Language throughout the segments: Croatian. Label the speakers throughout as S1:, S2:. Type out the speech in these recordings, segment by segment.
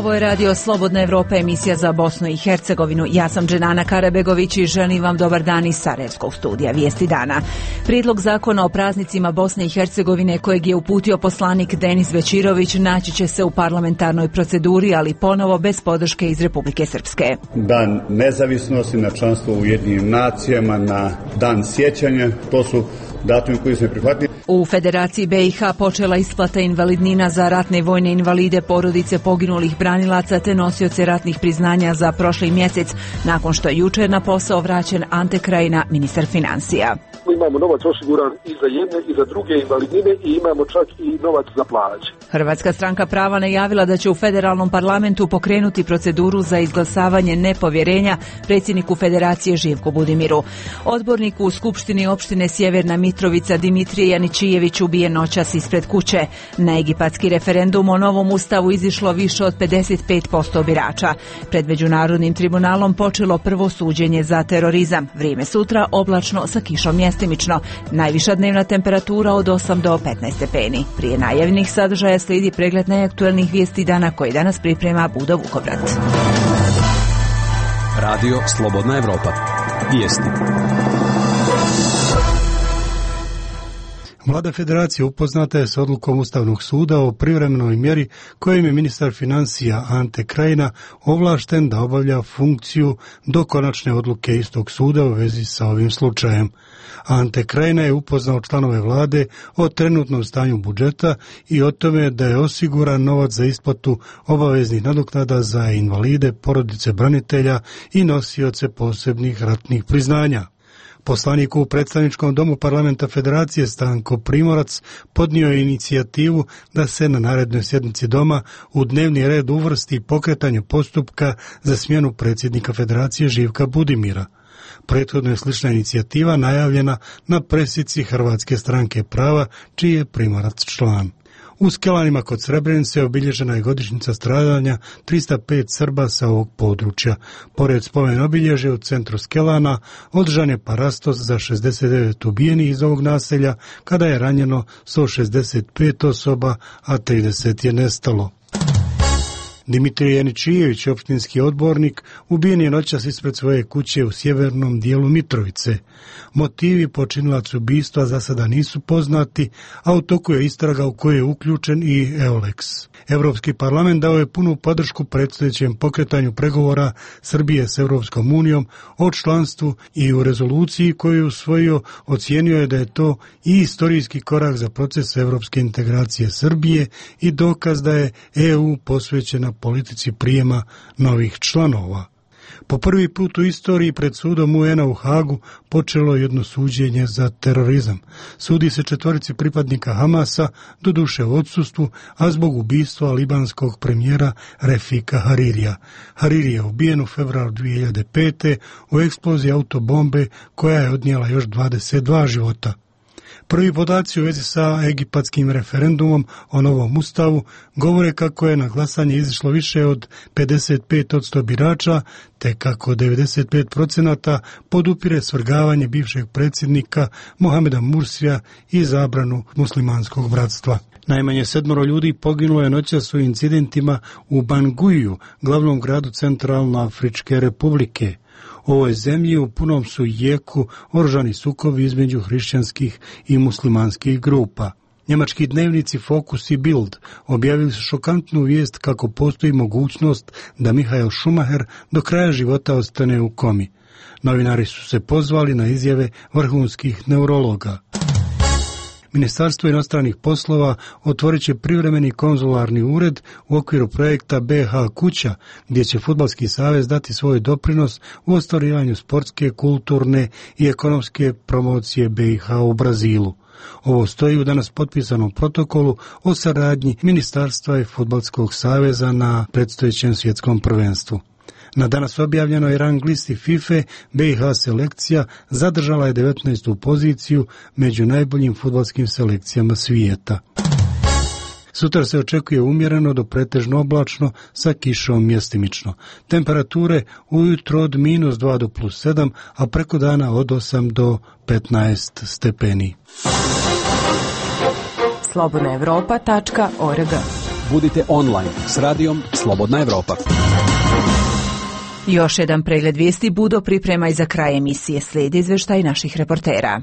S1: Ovo je radio Slobodna Evropa, emisija za Bosnu i Hercegovinu. Ja sam Dženana Karabegović i želim vam dobar dan iz Sarajevskog studija Vijesti dana. Prijedlog zakona o praznicima Bosne i Hercegovine kojeg je uputio poslanik Denis Bećirović naći će se u parlamentarnoj proceduri, ali ponovo bez podrške iz Republike Srpske.
S2: Dan nezavisnosti, na članstvo u Ujedinjenim nacijama, na dan sjećanja, to su datumi koji se prihvatili.
S1: U Federaciji BiH počela isplata invalidnina za ratne i vojne invalide, porodice poginulih branilaca te nosioce ratnih priznanja za prošli mjesec, nakon što je jučer na posao vraćen Ante Krajina, ministar financija.
S3: Imamo novac osiguran i za jedne i za druge invalidnine i imamo čak i novac za plaće.
S1: Hrvatska stranka prava najavila da će u federalnom parlamentu pokrenuti proceduru za izglasavanje nepovjerenja predsjedniku Federacije Živku Budimiru. Odbornik u Skupštini opštine Sjeverna Mitrovica Dimitrije Janičijević ubijen noćas ispred kuće. Na egipatski referendum o novom ustavu izišlo više od 55% birača. Pred Međunarodnim tribunalom počelo prvo suđenje za terorizam. Vrijeme sutra oblačno sa kišom mjestimično. Najviša dnevna temperatura od 8 do 15 stepeni. Prije najavljenih sadržaja slijedi pregled najaktuelnijih vijesti dana koji danas priprema Budo Vukovrat.
S4: Radio Slobodna Evropa. Vijesti.
S5: Vlada Federacije upoznata je s odlukom Ustavnog suda o privremenoj mjeri kojim je ministar financija Ante Krajina ovlašten da obavlja funkciju do konačne odluke istog suda u vezi sa ovim slučajem. Ante Krajina je upoznao članove vlade o trenutnom stanju budžeta i o tome da je osiguran novac za isplatu obaveznih nadoknada za invalide, porodice branitelja i nosioce posebnih ratnih priznanja. Poslanik u predstavničkom domu parlamenta Federacije Stanko Primorac podnio je inicijativu da se na narednoj sjednici doma u dnevni red uvrsti pokretanje postupka za smjenu predsjednika Federacije Živka Budimira. Prethodno je slična inicijativa najavljena na presici Hrvatske stranke prava, čiji je Primorac član. U Skelanima kod Srebrenice obilježena je godišnjica stradanja 305 Srba sa ovog područja. Pored spomen obilježja u centru Skelana održan je parastos za 69 ubijenih iz ovog naselja, kada je ranjeno 165 osoba, a 30 je nestalo. Dimitrije Janičijević, opštinski odbornik, ubijen je noćas ispred svoje kuće u sjevernom dijelu Mitrovice. Motivi počinilaca ubistva za sada nisu poznati, a u toku je istraga u kojoj je uključen i EOLEX. Europski parlament dao je punu podršku predstojećem pokretanju pregovora Srbije s Europskom unijom o članstvu i u rezoluciji koju je usvojio ocijenio je da je to i istorijski korak za proces europske integracije Srbije i dokaz da je EU posvećena politici prijema novih članova. Po prvi put u istoriji pred sudom UN-a u Hagu počelo jedno suđenje za terorizam. Sudi se 4 pripadnika Hamasa, doduše u odsustvu, a zbog ubistva libanskog premijera Refika Haririja. Hariri je ubijen u februaru 2005. u eksploziji autobombe koja je odnijela još 22 života. Prvi podaci u vezi sa egipatskim referendumom o novom ustavu govore kako je na glasanje izišlo više od 55% birača, te kako 95% podupire svrgavanje bivšeg predsjednika Mohameda Mursija i zabranu muslimanskog bratstva. Najmanje 7 ljudi poginulo je noćas u incidentima u Banguiju, glavnom gradu Centralnoafričke republike. U ovoj zemlji u punom su jeku oružani sukobi između hrišćanskih i muslimanskih grupa. Njemački dnevnici Focus i Bild objavili su šokantnu vijest kako postoji mogućnost da Michael Schumacher do kraja života ostane u komi. Novinari su se pozvali na izjave vrhunskih neurologa. Ministarstvo inostranih poslova otvorit će privremeni konzularni ured u okviru projekta BH kuća, gdje će Fudbalski savez dati svoj doprinos u ostvarivanju sportske, kulturne i ekonomske promocije BiH u Brazilu. Ovo stoji u danas potpisanom protokolu o saradnji Ministarstva i Fudbalskog saveza na predstojećem svjetskom prvenstvu. Na danas objavljenoj rang listi FIFA BiH selekcija zadržala je 19. poziciju među najboljim fudbalskim selekcijama svijeta. Sutra se očekuje umjereno do pretežno oblačno sa kišom mjestimično. Temperature ujutro od -2 do +7, a preko dana od 8 do 15 stepeni.
S1: slobodnaevropa.org
S4: Budite online s radijom Slobodna Evropa.
S1: Još jedan pregled vijesti Budo priprema i za kraj emisije. Slijedi izvještaj naših reportera.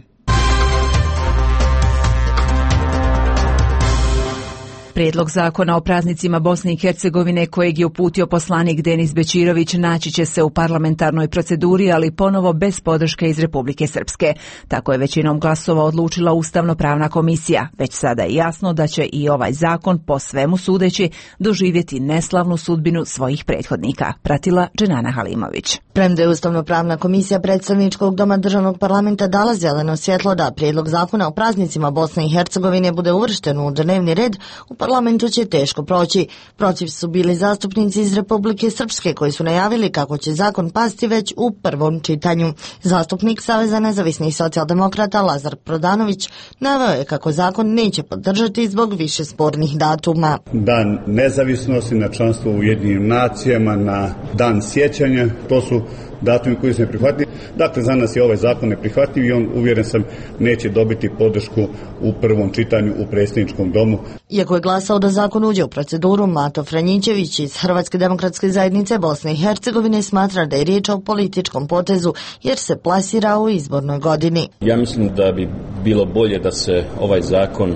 S1: Prijedlog zakona o praznicima Bosne i Hercegovine kojeg je uputio poslanik Denis Bećirović naći će se u parlamentarnoj proceduri, ali ponovo bez podrške iz Republike Srpske. Tako je većinom glasova odlučila Ustavno-pravna komisija. Već sada je jasno da će i ovaj zakon, po svemu sudeći, doživjeti neslavnu sudbinu svojih prethodnika. Pratila Dženana Halimović.
S6: Premda je Ustavno-pravna komisija predstavničkog doma državnog parlamenta dala zeleno svjetlo da prijedlog zakona o praznicima Bosne i Hercegovine bude uvršten u dnevni red, u parlamentu će teško proći. Protiv su bili zastupnici iz Republike Srpske koji su najavili kako će zakon pasti već u prvom čitanju. Zastupnik Saveza nezavisnih socijaldemokrata Lazar Prodanović naveo je kako zakon neće podržati zbog više spornih datuma.
S2: Dan nezavisnosti, na članstvo u Ujedinjenim nacijama, na dan sjećanja, to su datumi koji su neprihvatljivi. Dakle, za nas je ovaj zakon neprihvatljiv i on, uvjeren sam, neće dobiti podršku u prvom čitanju u predsjedničkom domu.
S6: Iako je glasao da zakon uđe u proceduru, Mato Franjićević iz Hrvatske demokratske zajednice Bosne i Hercegovine smatra da je riječ o političkom potezu jer se plasira u izbornoj godini.
S7: Ja mislim da bi bilo bolje da se ovaj zakon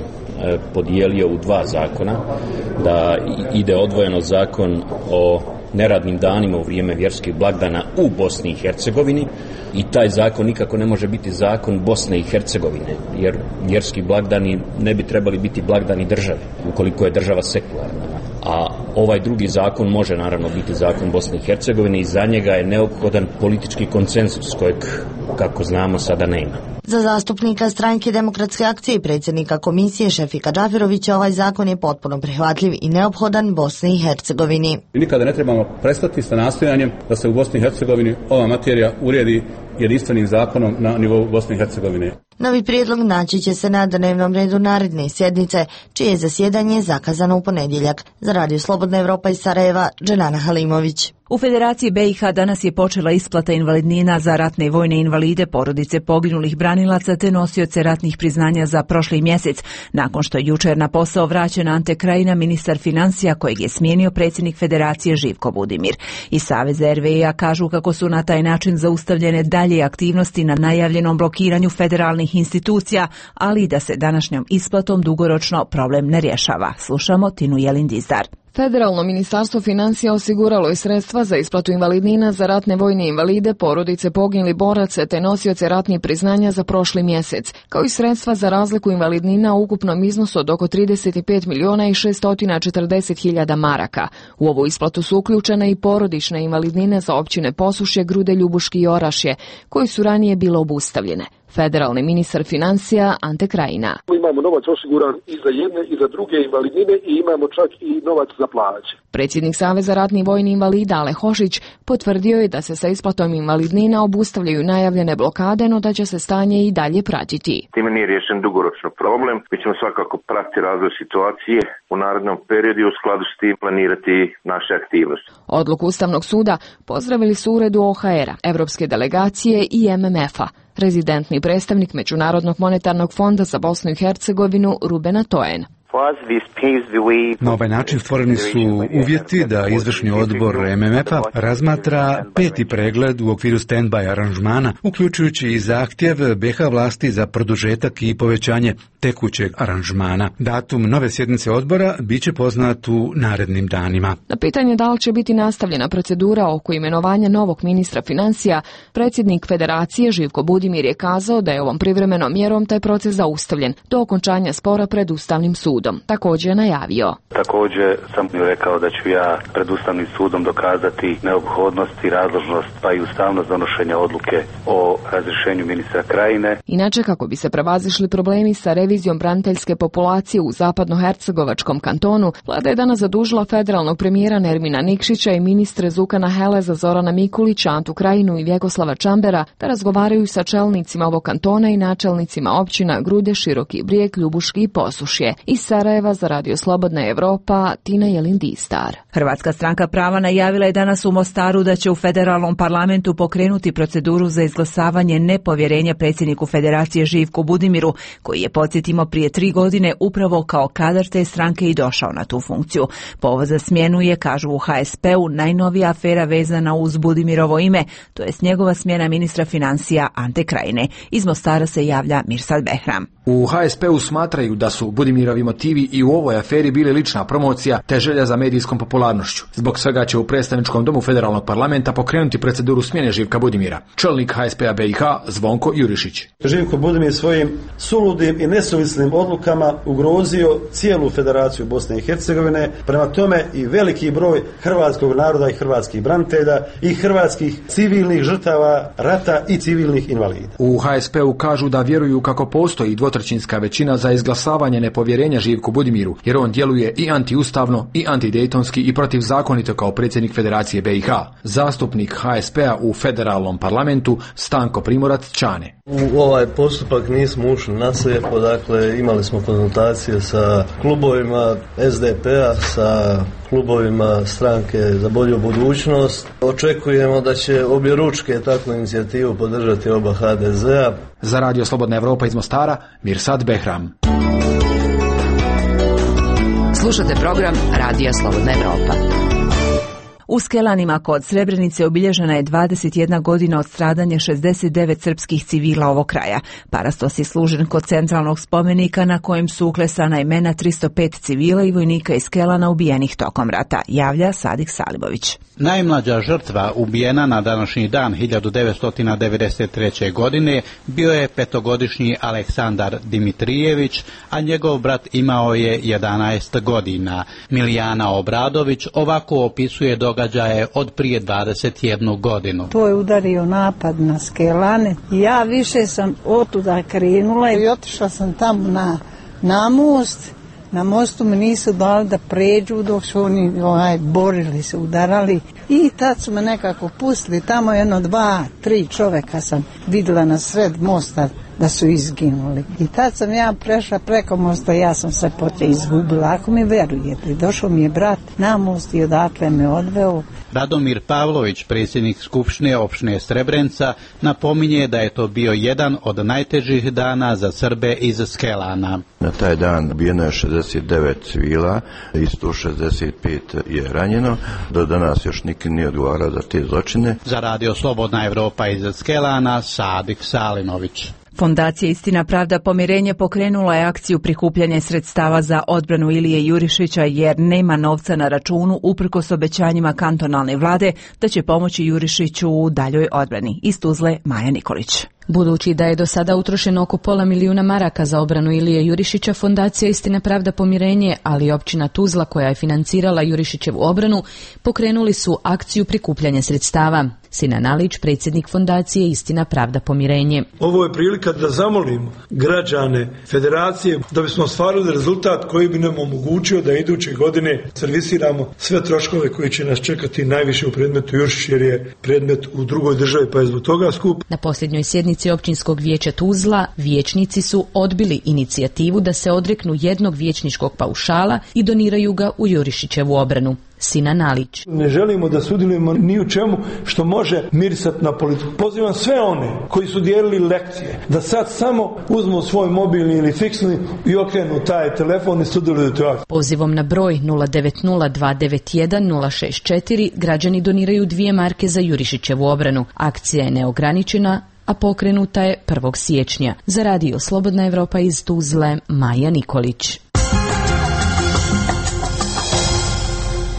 S7: podijelio u dva zakona, da ide odvojeno zakon o neradnim danima u vrijeme vjerskih blagdana u Bosni i Hercegovini i taj zakon nikako ne može biti zakon Bosne i Hercegovine, jer vjerski blagdani ne bi trebali biti blagdani države, ukoliko je država sekularna. A ovaj drugi zakon može naravno biti zakon Bosne i Hercegovine i za njega je neophodan politički konsenzus kojeg, kako znamo, sada nema.
S6: Za zastupnika Stranke demokratske akcije i predsjednika komisije Šefika Džaferovića ovaj zakon je potpuno prihvatljiv i neophodan Bosni i Hercegovini.
S8: Nikada ne trebamo prestati sa nastojanjem da se u Bosni i Hercegovini ova materija uredi jedinstvenim zakonom na nivou Bosne i Hercegovine.
S6: Novi prijedlog naći će se na dnevnom redu naredne sjednice, čije je zasjedanje zakazano u ponedjeljak. Za Radio Slobodna Evropa iz Sarajeva, Dženana Halimović.
S1: U Federaciji BiH danas je počela isplata invalidnina za ratne i vojne invalide, porodice poginulih branilaca te nosioce ratnih priznanja za prošli mjesec, nakon što je jučer na posao vraćen Ante Krajina, ministar financija kojeg je smijenio predsjednik Federacije Živko Budimir. Iz Saveza RVA kažu kako su na taj način zaustavljene dalje aktivnosti na najavljenom blokiranju federalnih institucija, ali i da se današnjom isplatom dugoročno problem ne rješava. Slušamo Tinu Jelin-Dizdar.
S9: Federalno ministarstvo financija osiguralo je sredstva za isplatu invalidnina za ratne vojne invalide, porodice poginulih boraca te nosioce ratnih priznanja za prošli mjesec, kao i sredstva za razliku invalidnina u ukupnom iznosu od oko 35.640.000 maraka. U ovu isplatu su uključene i porodične invalidnine za općine Posušje, Grude, Ljubuški i Orašje, koji su ranije bile obustavljene. Federalni ministar financija Ante Krajina.
S3: Imamo novac osiguran i za jedne i za druge invalidnine i imamo čak i novac za plaće.
S9: Predsjednik Saveza ratnih vojnih invalida Ale Hošić potvrdio je da se sa isplatom invalidnina obustavljaju najavljene blokade, no da će se stanje i dalje pratiti.
S10: Time nije riješen dugoročno problem. Mi ćemo svakako pratiti razvoj situacije u narednom periodu i u skladu s tim planirati naše aktivnosti.
S9: Odluku Ustavnog suda pozdravili su uredu OHR-a, Evropske delegacije i MMF-a. Rezidentni predstavnik Međunarodnog monetarnog fonda za Bosnu i Hercegovinu Ruben Atoen.
S11: Na ovaj način stvoreni su uvjeti da izvršni odbor MMF-a razmatra peti pregled u okviru stand-by aranžmana, uključujući i zahtjev BiH vlasti za produžetak i povećanje tekućeg aranžmana. Datum nove sjednice odbora biće poznat u narednim danima.
S9: Na pitanje da li će biti nastavljena procedura oko imenovanja novog ministra financija, predsjednik Federacije Živko Budimir je kazao da je ovom privremenom mjerom taj proces zaustavljen do okončanja spora pred Ustavnim sudom. Također je najavio.
S12: Također sam rekao da ću ja pred Ustavnim sudom dokazati neophodnost i razložnost pa i ustavnost donošenja odluke o razrješenju ministra Krajine.
S9: Inače, kako bi se prevazišli problemi sa revizijom braniteljske populacije u zapadnohercegovačkom kantonu, vlada je danas zadužila federalnog premijera Nermina Nikšića i ministre Zukana Heleza, Zorana Mikulića, Antu Krajinu i Vjekoslava Čambera da razgovaraju sa čelnicima ovog kantona i načelnicima općina Grude, Široki Brijeg, Ljubuški i Posušje. Iz Sarajeva za Radio Slobodna Evropa, Tina Jelin-Distar.
S1: Hrvatska stranka prava najavila je danas u Mostaru da će u federalnom parlamentu pokrenuti proceduru za izglasavanje nepovjerenja predsjedniku Federacije Živku Budimiru, koji je, podsjetimo, prije 3 godine upravo kao kadar te stranke i došao na tu funkciju. Povod za smjenu je, kažu u HSP-u, najnovija afera vezana uz Budimirovo ime, to jest njegova smjena ministra financija Ante Krajine. Iz Mostara se javlja Mirsad Behram.
S13: U HSP-u smatraju da su Budimirovi motivi i u ovoj aferi bili lična promocija te želja za medijskom popularnošću. Zbog svega će u predstavničkom domu federalnog parlamenta pokrenuti proceduru smjene Živka Budimira. Čelnik HSP-a BiH Zvonko Jurišić.
S14: Živko Budimir svojim suludim i nesuvislim odlukama ugrozio cijelu Federaciju Bosne i Hercegovine, prema tome i veliki broj hrvatskog naroda i hrvatskih branitelja i hrvatskih civilnih žrtava rata i civilnih invalida.
S13: U HSP-u kažu da vjeruju kako postoji dvotrećinska većina za izglasavanje nepovjerenja Živku Budimiru, jer on djeluje i antiustavno i antidejtonski i protivzakonito kao predsjednik Federacije BiH. Zastupnik HSP-a u federalnom parlamentu Stanko Primorac Čane.
S15: U ovaj postupak nismo ušli na slijepo, dakle imali smo konzultacije sa klubovima SDP-a, sa klubovima Stranke za bolju budućnost. Očekujemo da će objeručke takvu inicijativu podržati oba HDZ-a.
S13: Za Radio Slobodna Evropa iz Mostara, Mirsad Behram.
S16: Slušate program Radija Slobodna Evropa.
S1: U Skelanima kod Srebrenice obilježena je 21 godina od stradanja 69 srpskih civila ovog kraja. Parastos je služen kod centralnog spomenika na kojem su uklesana imena 305 civila i vojnika iz Skelana ubijenih tokom rata, javlja Sadik Salimović.
S17: Najmlađa žrtva ubijena na današnji dan 1993. godine bio je 5-godišnji Aleksandar Dimitrijević, a njegov brat imao je 11 godina. Milijana Obradović ovako opisuje događaje od prije 21 godinu.
S18: To je udario napad na Skelane i ja više sam otuda krenula i otišla sam tamo na most. Na mostu mi nisu dali da pređu dok su oni borili se, udarali i tad su me nekako pustili. Tamo 1, 2, 3 čoveka sam vidjela na sred mosta da su izginuli. I tad sam ja prešla preko mosta, ja sam se poslije izgubila. Ako mi verujete, došao mi je brat na most i odakle me odveo.
S17: Radomir Pavlović, predsjednik Skupštine opštine Srebrenica, napominje da je to bio jedan od najtežih dana za Srbe iz Skelana.
S19: Na taj dan ubijeno je 69 civila i 165 je ranjeno. Do danas još niko nije odgovarao za te zločine.
S17: Za Radio Slobodna Evropa iz Skelana, Sadik Salimović.
S1: Fondacija Istina, pravda, pomirenje pokrenula je akciju prikupljanja sredstava za odbranu Ilije Jurišića jer nema novca na računu uprkos obećanjima kantonalne vlade da će pomoći Jurišiću u daljoj odbrani. Iz Tuzle, Maja Nikolić.
S9: Budući da je do sada utrošeno oko $500.000 maraka za obranu Ilije Jurišića, Fondacija Istina, pravda, pomirenje, ali i općina Tuzla koja je financirala Jurišićevu obranu, pokrenuli su akciju prikupljanja sredstava. Sinan Alić, predsjednik Fondacije Istina, pravda, pomirenje.
S20: Ovo je prilika da zamolimo građane Federacije da bismo ostvarili rezultat koji bi nam omogućio da iduće godine servisiramo sve troškove koji će nas čekati najviše u predmetu Jurišić jer je predmet u drugoj državi pa je zbog toga skup.
S9: Na posljednjoj sjednici općinskog vijeća Tuzla vijećnici su odbili inicijativu da se odreknu jednog vijećničkog paušala i doniraju ga u Jurišićevu obranu. Sinan Alić.
S20: Ne želimo da sudjelujemo ni u čemu što može mirisati na politiku. Pozivam sve one koji su dijelili lekcije da sad samo uzmu svoj mobilni ili fiksni i okrenu taj telefon i sudjeluju to akciju.
S9: Pozivom na broj 090-291-064 građani doniraju 2 marke za Jurišićevu obranu. Akcija je neograničena, a pokrenuta je 1. siječnja. Za Radio Slobodna Evropa iz Tuzle, Maja Nikolić.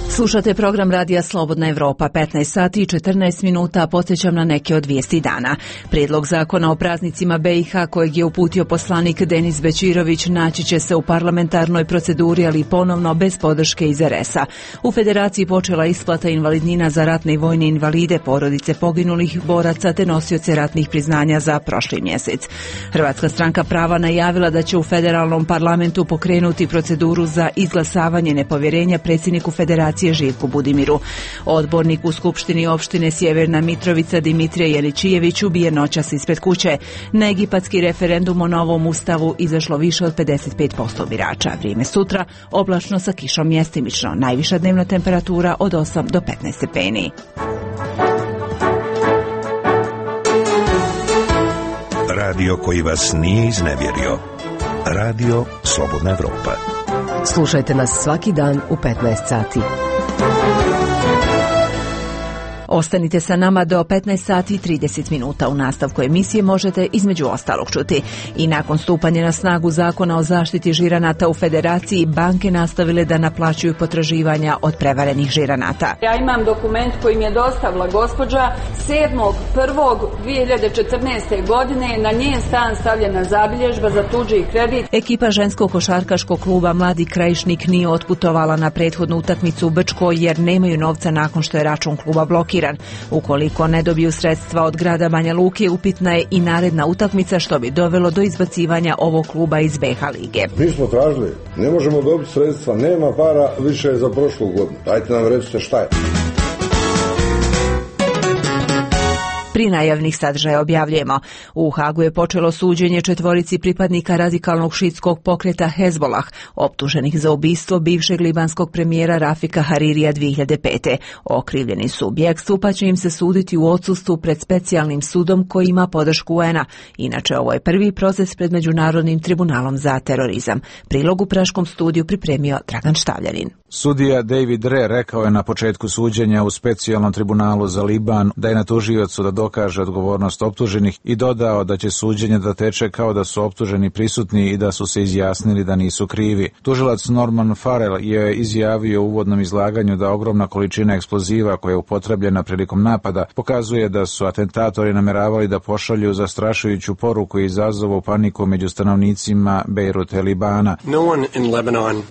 S1: Slušate program Radija Slobodna Evropa, 15 sati i 14 minuta, podsjećam na neke od vijesti dana. Prijedlog zakona o praznicima BiH kojeg je uputio poslanik Denis Bećirović naći će se u parlamentarnoj proceduri, ali ponovno bez podrške iz RS-a. U Federaciji počela isplata invalidnina za ratne i vojne invalide, porodice poginulih boraca te nosioce ratnih priznanja za prošli mjesec. Hrvatska stranka prava najavila da će u federalnom parlamentu pokrenuti proceduru za izglasavanje nepovjerenja predsjedniku Federacije Federacije Živku Budimiru. Odbornik u Skupštini opštine Sjeverna Mitrovica Dimitrije Jeličijević ubijen noćas ispred kuće. Na egipatski referendum o novom ustavu izašlo više od 55% birača. Vrijeme sutra oblačno sa kišom mjestimično. Najviša dnevna temperatura od 8 do 15 stepeni.
S21: Radio koji vas nije iznevjerio. Radio Slobodna Evropa.
S16: Slušajte nas svaki dan u 15 sati.
S1: Ostanite sa nama do 15 sati i 30 minuta. U nastavku emisije možete između ostalog čuti: i nakon stupanja na snagu zakona o zaštiti žiranata u Federaciji, banke nastavile da naplaćuju potraživanja od prevarenih žiranata.
S22: Ja imam dokument koji mi je dostavila gospođa 7.1.2014. godine. Na njen stan stavljena zabilježba za tuđi kredit.
S1: Ekipa ženskog košarkaškog kluba Mladi Krajišnik nije otputovala na prethodnu utakmicu u Brčko jer nemaju novca nakon što je račun kluba blokiran. Ukoliko ne dobiju sredstva od grada Banja Luke, upitna je i naredna utakmica, što bi dovelo do izbacivanja ovog kluba iz BH lige.
S23: Mi smo tražili, ne možemo dobiti sredstva, nema para više za prošlu godinu. Dajte nam recite šta je.
S1: Pri najavnih sadržaja objavljujemo: u Hagu je počelo suđenje 4 pripadnika radikalnog šiitskog pokreta Hezbolah, optuženih za ubistvo bivšeg libanskog premijera Rafika Haririja 2005. Okrivljeni su u bjegstvu, pa će im se suditi u odsustvu pred specijalnim sudom koji ima podršku UN-a. Inače, ovo je prvi proces pred Međunarodnim tribunalom za terorizam. Prilog u Praškom studiju pripremio Dragan Štavljanin.
S24: Sudija David Re rekao je na početku suđenja u specijalnom tribunalu za Liban da je na tužiocu da dokaže odgovornost optuženih i dodao da će suđenje da teče kao da su optuženi prisutni i da su se izjasnili da nisu krivi. Tužilac Norman Farrell je izjavio u uvodnom izlaganju da ogromna količina eksploziva koja je upotrebljena prilikom napada pokazuje da su atentatori nameravali da pošalju zastrašujuću poruku i izazovu paniku među stanovnicima Bejruta i Libana.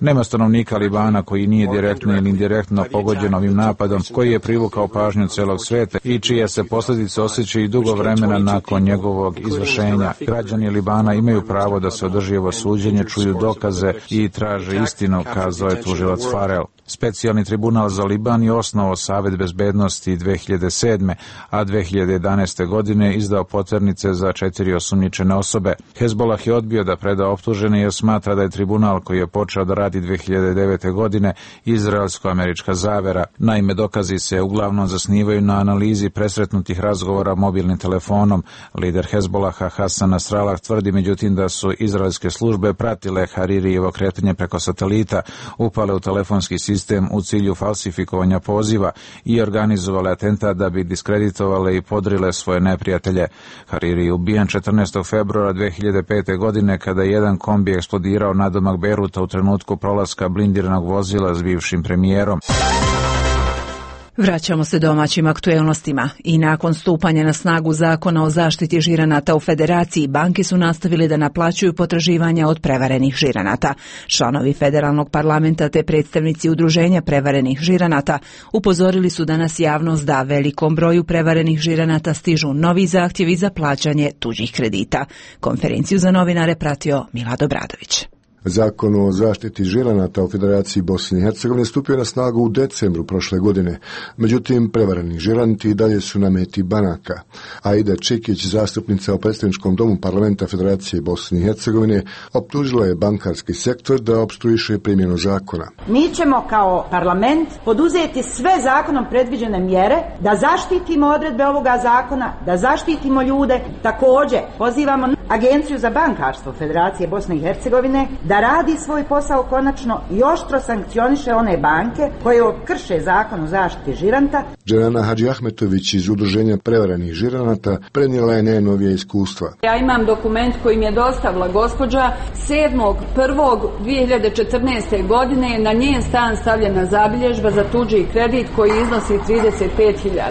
S24: Nema stanovnika Libana koji nije direktno ili indirektno pogođen ovim napadom, koji je privukao pažnju celog sveta i čije se posljedice osjećaju dugo vremena nakon njegovog izvršenja. Građani Libana imaju pravo da se održi ovo suđenje, čuju dokaze i traže istinu, kazao je tužilac Farrell. Specijalni tribunal za Liban je osnovao Savet bezbednosti 2007. a 2011. godine izdao poternice za 4 osumnjičene osobe. Hezbolah je odbio da preda optužene jer smatra da je tribunal koji je počeo da radi 2009. godine izraelsko-američka zavera. Naime, dokazi se uglavnom zasnivaju na analizi presretnutih razgovora mobilnim telefonom. Lider Hezbolaha Hasan Nasrallah tvrdi međutim da su izraelske službe pratile Haririjevo kretanje preko satelita, upale u telefonski sistem u cilju falsifikovanja poziva i organizovale atentat da bi diskreditovale i podrile svoje neprijatelje. Hariri je ubijen 14. februara 2005. godine kada je jedan kombi eksplodirao nadomak Bejruta u trenutku prolaska blindiranog vozila s bivšim premijerom.
S1: Vraćamo se domaćim aktuelnostima. I nakon stupanja na snagu zakona o zaštiti žiranata u Federaciji, banke su nastavili da naplaćuju potraživanja od prevarenih žiranata. Članovi federalnog parlamenta te predstavnici udruženja prevarenih žiranata upozorili su danas javnost da velikom broju prevarenih žiranata stižu novi zahtjevi za plaćanje tuđih kredita. Konferenciju za novinare pratio Milad Obradović.
S25: Zakon o zaštiti žiranata u Federaciji Bosne i Hercegovine stupio na snagu u decembru prošle godine. Međutim, prevareni žiranti i dalje su na meti banaka. Aida Čekić, zastupnica u predstavničkom domu parlamenta Federacije Bosne i Hercegovine, optužila je bankarski sektor da opstruiše primjenu zakona.
S26: Mi ćemo kao parlament poduzeti sve zakonom predviđene mjere da zaštitimo odredbe ovoga zakona, da zaštitimo ljude. Također, pozivamo Agenciju za bankarstvo Federacije Bosne i Hercegovine da radi svoj posao konačno i oštro sankcioniše one banke koje krše zakon o zaštiti žiranta.
S25: Dženana Hadži Ahmetović iz udruženja prevarenih žiranata prenijela je najnovije iskustva.
S22: Ja imam dokument koji mi je dostavila gospođa 7.1.2014. godine. Na njen stan stavljena zabilježba za tuđi kredit koji iznosi 35.000.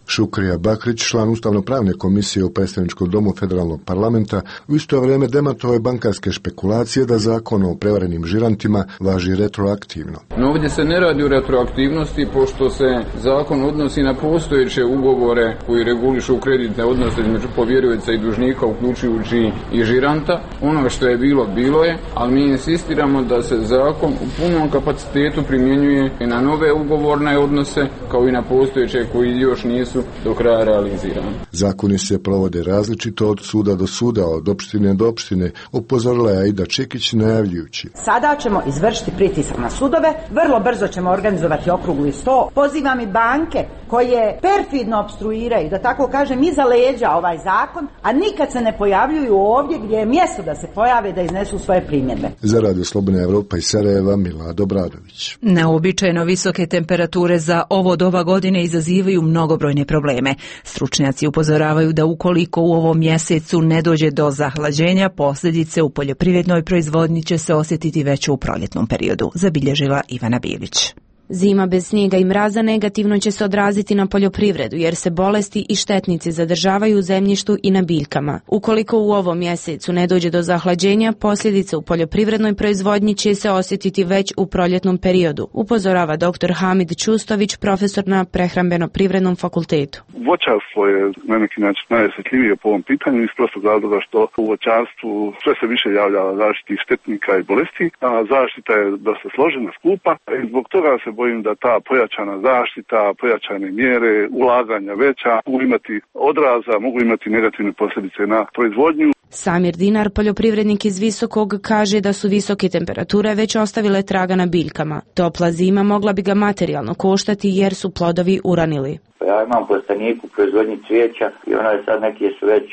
S25: Šukrija Bakrić, član Ustavno-pravne komisije u predstavničkom domu federalnog parlamenta, u isto vrijeme demantovao je bankarske špekulacije da zakon o prevarenim žirantima važi retroaktivno.
S2: No ovdje se ne radi o retroaktivnosti, pošto se zakon odnosi na postojeće ugovore koji regulišu kreditne odnose između povjerioca i dužnika, uključujući i žiranta. Ono što je bilo, bilo je, ali mi insistiramo da se zakon u punom kapacitetu primjenjuje i na nove ugovorne odnose, kao i na postojeće koji još nisu do kraja realizirani.
S25: Zakoni se provode različito od suda do suda, od opštine do opštine, upozorila je Aida Čekić najavljujući.
S26: Sada ćemo izvršiti pritisak na sudove, vrlo brzo ćemo organizovati okrugli sto. Pozivam i banke koje perfidno opstruiraju, da tako kažem, iza leđa ovaj zakon, a nikad se ne pojavljuju ovdje gdje je mjesto da se pojave, da iznesu svoje primjedbe.
S25: Za Radio Slobodna Evropa iz Sarajeva, Milado Bradović.
S1: Neuobičajeno visoke temperature za ovo doba godine izazivaju mnogobrojne probleme. Stručnjaci upozoravaju da ukoliko u ovom mjesecu ne dođe do zahlađenja, posljedice u poljoprivrednoj proizvodnji će se osjetiti već u proljetnom periodu, zabilježila Ivana Bilić.
S4: Zima bez snijega i mraza negativno će se odraziti na poljoprivredu jer se bolesti i štetnici zadržavaju u zemljištu i na biljkama. Ukoliko u ovom mjesecu ne dođe do zahlađenja, posljedice u poljoprivrednoj proizvodnji će se osjetiti već u proljetnom periodu, upozorava dr. Hamid Čustović, profesor na Prehrambeno-privrednom fakultetu.
S5: Voćarstvo je na neki način najosjetljivije po ovom pitanju iz prostog razloga što u voćarstvu sve se više javlja zaštitih štetnika i bolesti, a zaštita je dosta složena, skupa i zbog toga se bojim da ta pojačana zaštita, pojačane mjere, ulaganja veća mogu imati odraza, mogu imati negativne posljedice na proizvodnju.
S4: Samir Dinar, poljoprivrednik iz Visokog, kaže da su visoke temperature već ostavile traga na biljkama. Topla zima mogla bi ga materijalno koštati jer su plodovi uranili.
S6: Ja imam plastaniku u proizvodnji cvijeća i ona je sad neke su već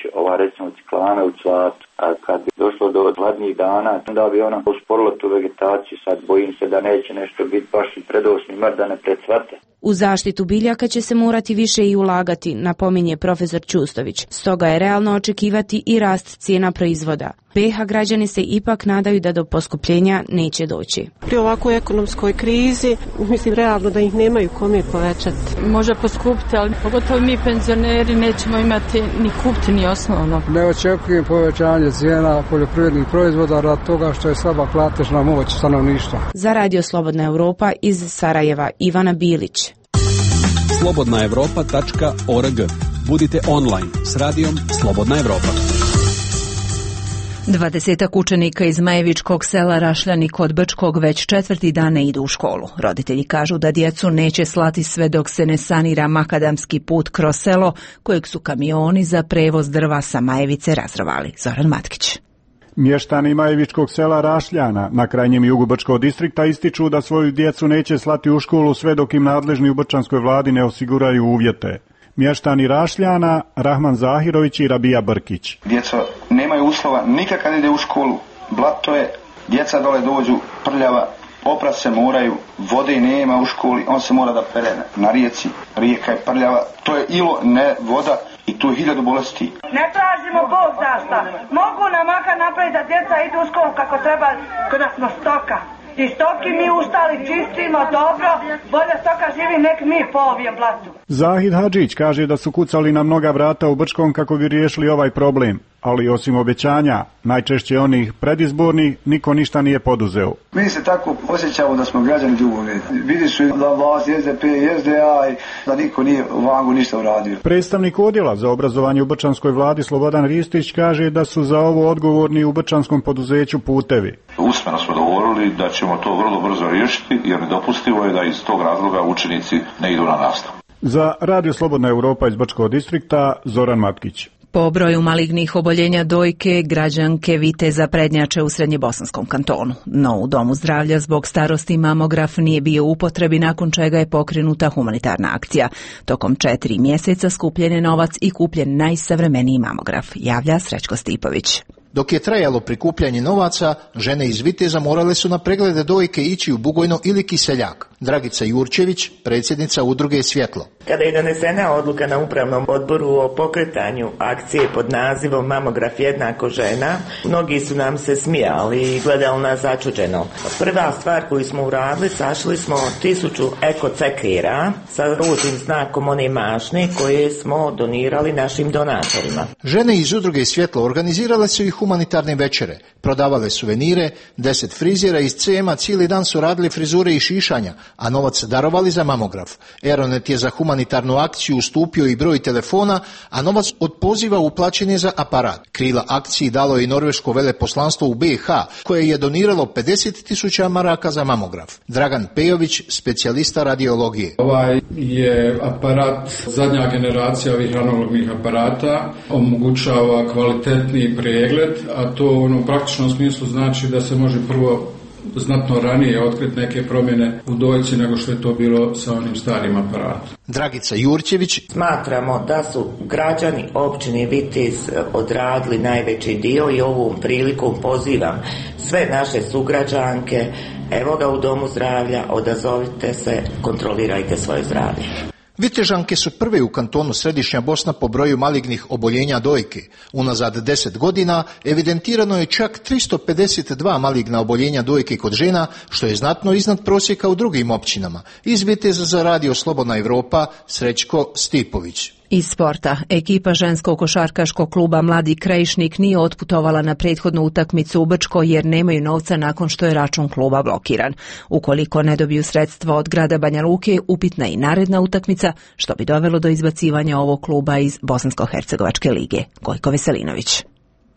S6: recimo ciklane u cvatu. A kad bi došlo do hladnijih dana, onda bi ona usporila tu vegetaciju. Sad bojim se da neće nešto biti baš i predosni mrt da ne precvate.
S4: U zaštitu biljaka će se morati više i ulagati, napominje profesor Čustović. Stoga je realno očekivati i rast cijena proizvoda. BiH građani se ipak nadaju da do poskupljenja neće doći.
S7: Pri ovakvoj ekonomskoj krizi, mislim realno da ih nemaju kome povećati.
S8: Može poskupiti, ali pogotovo mi penzioneri nećemo imati ni kupiti ni osnovno.
S27: Ne očekujem povećanje cijena poljoprivrednih proizvoda radi toga što je slaba platežna moć stanovništva.
S4: Za Radio Slobodna Evropa iz Sarajeva, Ivana Bilić.
S28: slobodnaevropa.org. Budite online s radijom Slobodna Evropa.
S1: 20 učenika iz Majevičkog sela Rašljani kod Brčkog već 4. dan ne idu u školu. Roditelji kažu da djecu neće slati sve dok se ne sanira makadamski put kroz selo, kojeg su kamioni za prevoz drva sa Majevice razrovali. Zoran Matkić.
S29: Mještani Majevičkog sela Rašljana na krajnjem jugu Brčkog distrikta ističu da svoju djecu neće slati u školu sve dok im nadležni u brčanskoj vladi ne osiguraju uvjete. Mještani Rašljana, Rahman Zahirović i Rabija Brkić.
S30: Djeca nemaju uslova, nikad ide u školu, blato je, djeca dole dođu prljava, oprat se moraju, vode nema u školi, on se mora da pere na rijeci, rijeka je prljava, to je ilo, ne voda i tu je 1000 bolesti.
S31: Ne tražimo Bog zašta, mogu nam makar napraviti da djeca idu u školu kako treba, kada smo stoka. I stoki mi ustali, čistimo, dobro, bolje stoka živi nek mi po ovijem blatu.
S29: Zahid Hadžić kaže da su kucali na mnoga vrata u Brčkom kako bi riješili ovaj problem, ali osim obećanja, najčešće onih predizbornih, niko ništa nije poduzeo.
S30: Mi se tako osjećamo da smo građani drugog reda. Vidi su da vlast SDP i SDA i da niko nije u Vangu ništa uradio.
S29: Predstavnik odjela za obrazovanje u brčanskoj vladi Slobodan Ristić kaže da su za ovo odgovorni u brčanskom poduzeću Putevi.
S32: Usmeno smo dogovorili da ćemo to vrlo brzo riješiti jer nedopustivo je da iz tog razloga učenici ne idu na nastavu.
S29: Za Radio Slobodna Evropa iz Brčkog distrikta, Zoran Matkić.
S1: Po broju malignih oboljenja dojke, građanke Viteza prednjače u Srednjebosanskom kantonu. No u Domu zdravlja zbog starosti mamograf nije bio u upotrebi, nakon čega je pokrenuta humanitarna akcija. Tokom 4 mjeseca skupljen je novac i kupljen najsavremeniji mamograf, javlja Srećko Stipović.
S3: Dok je trajalo prikupljanje novaca, žene iz Viteza morale su na preglede dojke ići u Bugojno ili Kiseljak. Dragica Jurčević, predsjednica udruge Svjetlo.
S9: Kada je donesena odluka na upravnom odboru o pokretanju akcije pod nazivom Mamograf jednako žena, mnogi su nam se smijali i gledali nas začuđeno. Prva stvar koju smo uradili, sašli smo 1000 ekocekira sa ružnim znakom one mašne koje smo donirali našim donatorima.
S3: Žene iz udruge Svjetlo organizirale su i humanitarne večere, prodavale suvenire, 10 frizera iz CM-a cijeli dan su radili frizure i šišanja, a novac darovali za mamograf. Aeronet je za humanitarnu akciju ustupio i broj telefona, a novac od poziva uplaćen je za aparat. Krila akciji dalo je i norveško veleposlanstvo u BiH, koje je doniralo 50.000 maraka za mamograf. Dragan Pejović, specijalista radiologije.
S10: Ovaj je aparat zadnja generacija ovih analognih aparata, omogućava kvalitetni pregled, a to u praktičnom smislu znači da se može prvo znatno ranije otkriti neke promjene u dojci nego što je to bilo sa onim starim aparatom.
S3: Dragica Jurčević.
S9: Smatramo da su građani općine Vitez odradili najveći dio i ovom prilikom pozivam sve naše sugrađanke, evo ga u domu zdravlja, odazovite se, kontrolirajte svoje zdravlje.
S3: Vitežanke su prve u kantonu Središnja Bosna po broju malignih oboljenja dojke. Unazad 10 godina evidentirano je čak 352 maligna oboljenja dojke kod žena, što je znatno iznad prosjeka u drugim općinama. Iz Viteza za Radio Slobodna Evropa, Srećko Stipović.
S1: Iz sporta, ekipa ženskog košarkaškog kluba Mladi Krajišnik nije otputovala na prethodnu utakmicu u Brčko jer nemaju novca nakon što je račun kluba blokiran. Ukoliko ne dobiju sredstva od grada Banja Luke, upitna i naredna utakmica, što bi dovelo do izbacivanja ovog kluba iz Bosansko-hercegovačke lige. Gojko Veselinović.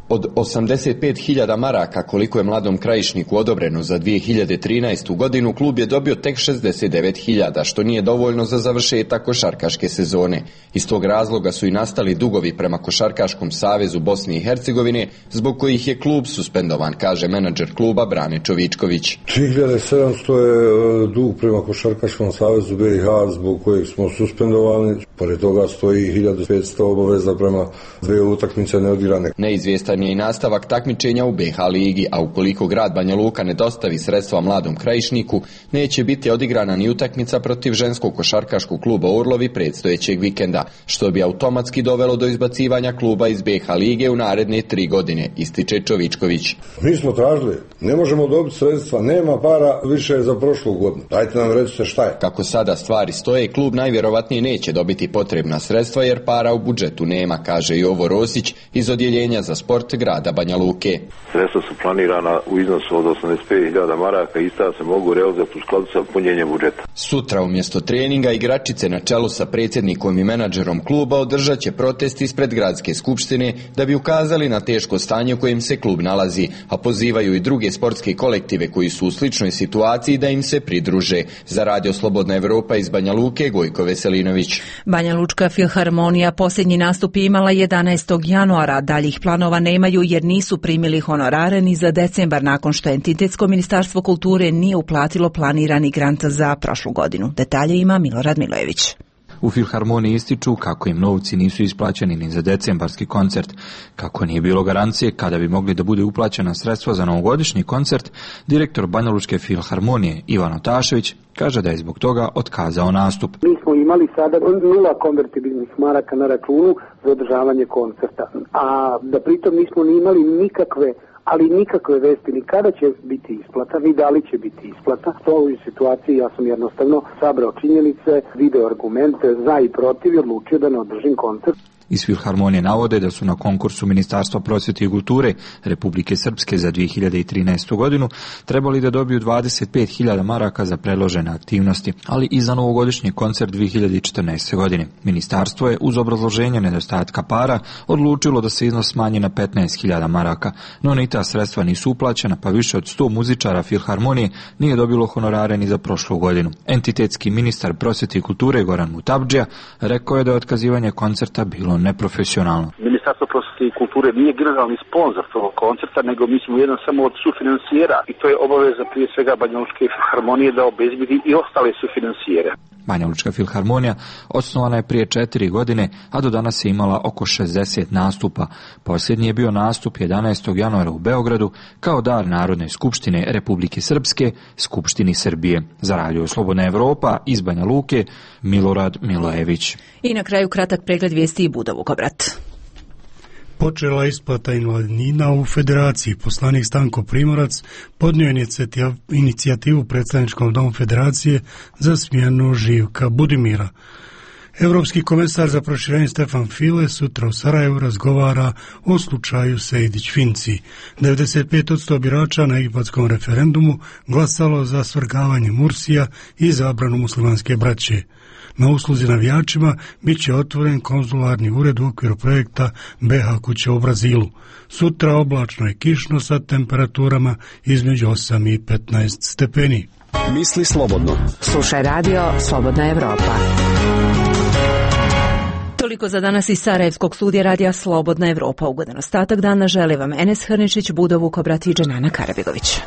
S11: Od 85.000 maraka koliko je Mladom Krajišniku odobreno za 2013. godinu, klub je dobio tek 69.000, što nije dovoljno za završetak košarkaške sezone. Iz tog razloga su i nastali dugovi prema Košarkaškom savezu Bosne i Hercegovine, zbog kojih je klub suspendovan, kaže menadžer kluba Brane Čovičković.
S23: 3700 je dug prema Košarkaškom savezu BiH, zbog kojeg smo suspendovani. Pored toga stoji 1500 obaveza prema 2 utakmice neodigrane.
S11: Neizvjestan je i nastavak takmičenja u BiH ligi, a ukoliko grad Banja Luka ne dostavi sredstva Mladom Krajišniku, neće biti odigrana ni utakmica protiv ženskog košarkaškog kluba Orlovi predstojećeg vikenda, što bi automatski dovelo do izbacivanja kluba iz BiH lige u naredne 3 godine, ističe Čovičković.
S23: Mi smo tražili, ne možemo dobiti sredstva, nema para više za prošlu godinu. Dajte nam recite šta je.
S11: Kako sada stvari stoje, klub najvjerovatnije neće dobiti potrebna sredstva jer para u budžetu nema, kaže Jovo Rosić iz odjeljenja za sport grada Banja Luke.
S12: Sredstva su planirana u iznosu od 85.000 maraka i ista se mogu realizovati u skladu sa punjenjem budžeta.
S11: Sutra umjesto treninga igračice na čelu sa predsjednikom i menadžerom kluba održat će protest ispred gradske skupštine da bi ukazali na teško stanje u kojem se klub nalazi, a pozivaju i druge sportske kolektive koji su u sličnoj situaciji da im se pridruže. Za Radio Slobodna Evropa iz Banja Luke, Gojko Veselinović.
S1: Banja Lučka filharmonija posljednji nastup imala 11. januara, daljih planova nemaju jer nisu primili honorare ni za decembar nakon što Entitetsko ministarstvo kulture nije uplatilo planirani grant za prošlu godinu. Detalje ima Milorad Milojević.
S13: U filharmoniji ističu kako im novci nisu isplaćeni ni za decembarski koncert. Kako nije bilo garancije kada bi mogli da bude uplaćena sredstva za novogodišnji koncert, direktor Banjalučke filharmonije Ivan Otašević kaže da je zbog toga otkazao nastup.
S14: Mi smo imali sada 0 konvertibilnih maraka na računu za održavanje koncerta, a da pritom nismo ni imali nikakve vesti ni kada će biti isplata, ni da li će biti isplata. U ovoj situaciji ja sam jednostavno sabrao činjenice, video argumente za i protiv i odlučio da ne održim koncert.
S13: Iz filharmonije navode da su na konkursu Ministarstva prosvjete i kulture Republike Srpske za 2013. godinu trebali da dobiju 25.000 maraka za predložene aktivnosti, ali i za novogodišnji koncert 2014. godine. Ministarstvo je uz obrazloženje nedostatka para odlučilo da se iznos smanji na 15.000 maraka, no ni ta sredstva nisu uplaćena, pa više od 100 muzičara filharmonije nije dobilo honorare ni za prošlu godinu. Entitetski ministar prosvjete i kulture Goran Mutabdžija rekao je da je otkazivanje koncerta bilo neprofesionalno.
S15: Ministarstvo prosvjete i kulture nije generalni sponzor tog koncerta, nego mi smo jedan samo od sufinansijera i to je obaveza prije svega Banja Lučke filharmonije da obezbedi i ostale sufinancijere.
S13: Banjalučka filharmonija osnovana je prije 4 godine, a do danas je imala oko 60 nastupa. Posljednji je bio nastup 11. januara u Beogradu kao dar Narodne skupštine Republike Srpske, Skupštini Srbije. Za Radio Slobodna Evropa iz Banja Luke, Milorad Milojević.
S1: I na kraju kratak pregled vijesti i Budov Kobrat.
S2: Počela isplata invalidnina u Federaciji. Poslanik Stanko Primorac podnio inicijativu predstavničkom domu Federacije za smjenu Živka Budimira. Europski komesar za proširenje Stefan File sutra u Sarajevu razgovara o slučaju Sejdić-Finci. 95% birača na egipatskom referendumu glasalo za svrgavanje Mursija i zabranu muslimanske braće. Na usluzi navijačima bit će otvoren konzularni ured u okviru projekta BH kuća u Brazilu. Sutra oblačno i kišno sa temperaturama između 8 i 15 stepeni.
S28: Misli slobodno.
S5: Slušaj radio Slobodna Evropa.
S1: Toliko za danas iz Sarajevskog studija radija Slobodna Evropa. Ugodan ostatak dana želi vam Enes Hrničić, Budov Kobrat i Dženana Karabegović.